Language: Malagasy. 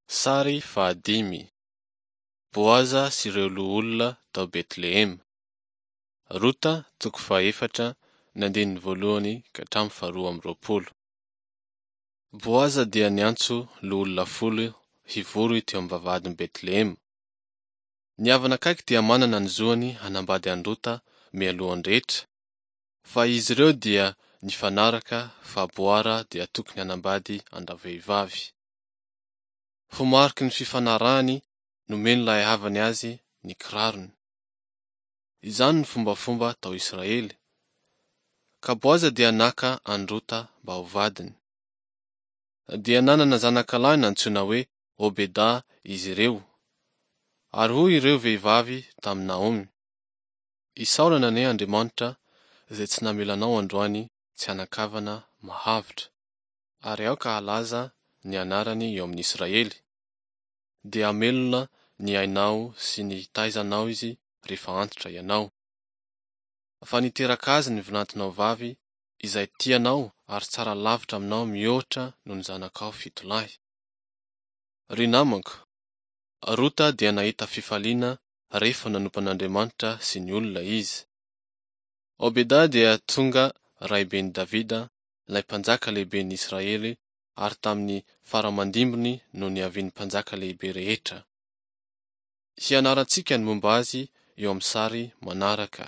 Sary fahadimy. Boaza sy ireo loholona tao Betlehema. Rota toko fahaefatra ny andininy voalohany ka hatramin'ny faharoa amby roapolo. Boaza dia niantso loholona folo hivory teo amin'ny vavahadin'i Betlehema. Ny havana akaiky dia manana ny zoany hanambady an'i Rota mialohan'ny rehetra, fa izy ireo dia nifanaraka fa Boara dia tokony hanambady an-dravehivavy. Ho mariky ny fifanarahany, nomen'ilay havany azy ny kirarony. Izany no fombafomba tao Israely. Ka Boaza dia naka an'i Rota mba ho vadiny. Dia nanana zanakalahy nantsoina hoe Obeda izy ireo. Ary hoy ireo vehivavy tamin'i Naomy, Isaorana anie Andriamanitra izay tsy namela anao androany tsy hanan-kavana mahavotra. Ary aoka halaza ny anarany eo amin'i Israely. Dia hamelona ny ainao sy ny hitaiza anao izy rehefa antitra ianao. Fa niteraka azy ny vinantonao vavy izay tia anao ary tsara lavitra aminao mihoatra noho ny zanakao fito lahy. Ry namako, Rota dia nahita fifaliana rehefa nanompo an'Andriamanitra sy ny olona izy. Obeda dia tonga raiben'i Davida, ilay mpanjaka lehiben'ny Israely ary tamin'ny fara-aman-dimbiny no niavian'ny mpanjaka lehibe rehetra. Hianarantsika ny momba azy eo amin'ny sary manaraka.